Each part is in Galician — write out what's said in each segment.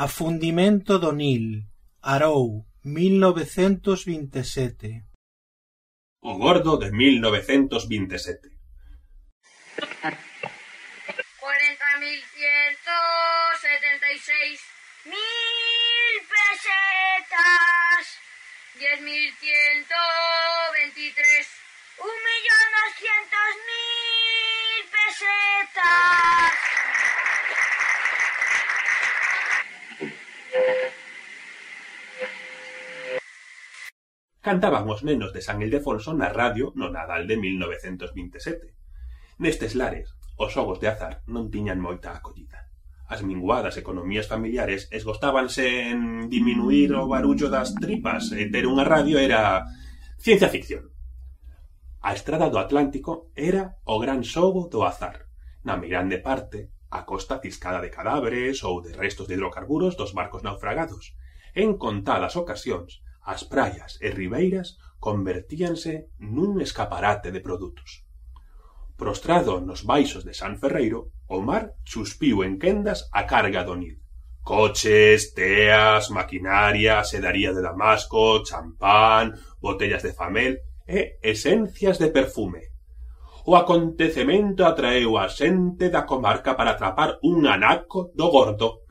Afundimento do Nil, Arou, 1927. O gordo de 1927. 40.176 mil pesetas, 10.123, 1.200.000 pesetas. Cantaban os nenos de San Ildefonso na radio no Nadal de 1927. Nestes lares, os xogos de azar non tiñan moita acollida. As minguadas economías familiares esgostábanse en diminuir o barullo das tripas e ter unha radio era ciencia ficción. A estrada do Atlántico era o gran xogo do azar. Na meirande parte, a costa ciscada de cadáveres ou de restos de hidrocarburos dos barcos naufragados. En contadas ocasións, as praias e ribeiras convertíanse nun escaparate de produtos. Prostrado nos baixos de San Ferreiro, o mar chuspiu en quendas a carga do Nil. Coches, teas, maquinaria, sedaría de Damasco, champán, botellas de famel e esencias de perfume. O acontecemento atraeu a xente da comarca para atrapar un anaco do gordo.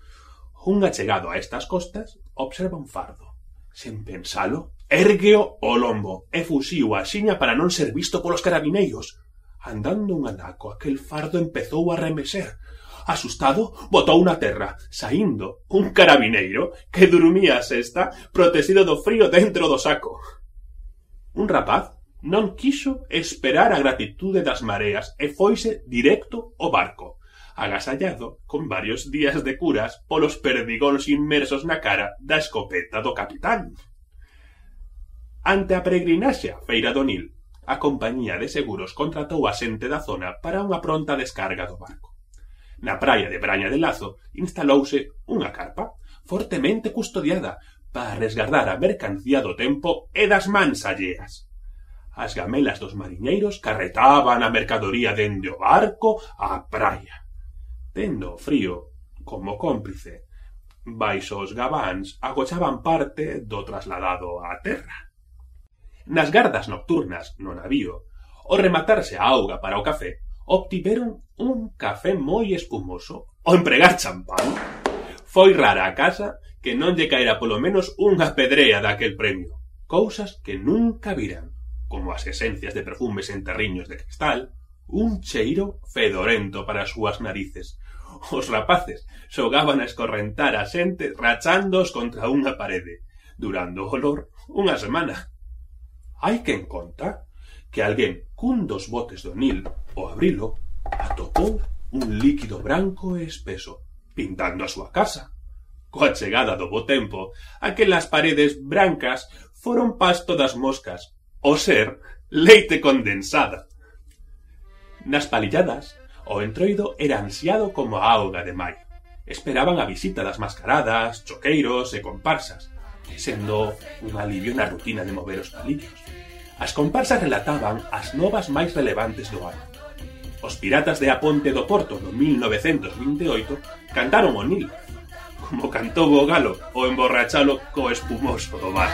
Un achegado a estas costas observa un fardo. Sen pensalo, érgueo o lombo e fuxiu a xiña para non ser visto polos carabineiros. Andando un anaco, aquel fardo empezou a remeser. Asustado, botou na terra, saindo un carabineiro que durmía a sesta protegido do frío dentro do saco. Un rapaz non quixo esperar a gratitude das mareas e foise directo ao barco, agasallado con varios días de curas polos perdigóns inmersos na cara da escopeta do capitán. Ante a peregrinaxe á feira do Nil, a compañía de seguros contratou a xente da zona para unha pronta descarga do barco. Na praia de Braña de Lazo instalouse unha carpa fortemente custodiada para resgardar a mercancía do tempo e das mans alleas. As gamelas dos mariñeiros carretaban a mercadoría dende o barco á praia. Tendo o frío como cómplice, baixo os gabáns agochaban parte do trasladado á terra. Nas gardas nocturnas no navío, ao rematarse a auga para o café, obtiveron un café moi espumoso ao empregar champán. Foi rara a casa que non lle caera polo menos unha pedrea daquel premio. Cousas que nunca viran, como as esencias de perfumes en terriños de cristal, un cheiro fedorento para as súas narices. Os rapaces xogaban a escorrentar a xente rachándoos contra unha parede, durando o olor unha semana. Hai quen conta que alguén cun dos botes do Nil, ao abrilo, atopou un líquido branco e espeso, pintando a súa casa. Coa chegada do bo tempo, aquelas paredes brancas foron pasto das moscas, o ser leite condensada. Nas palilladas, o entroido era ansiado como a auga de maio. Esperaban a visita das mascaradas, choqueiros e comparsas, sendo un alivio na rutina de mover os palillos. As comparsas relataban as novas máis relevantes do ano. Os piratas de A Ponte do Porto no 1928 cantaron o Nil, como cantou o galo o emborrachalo co espumoso do mar.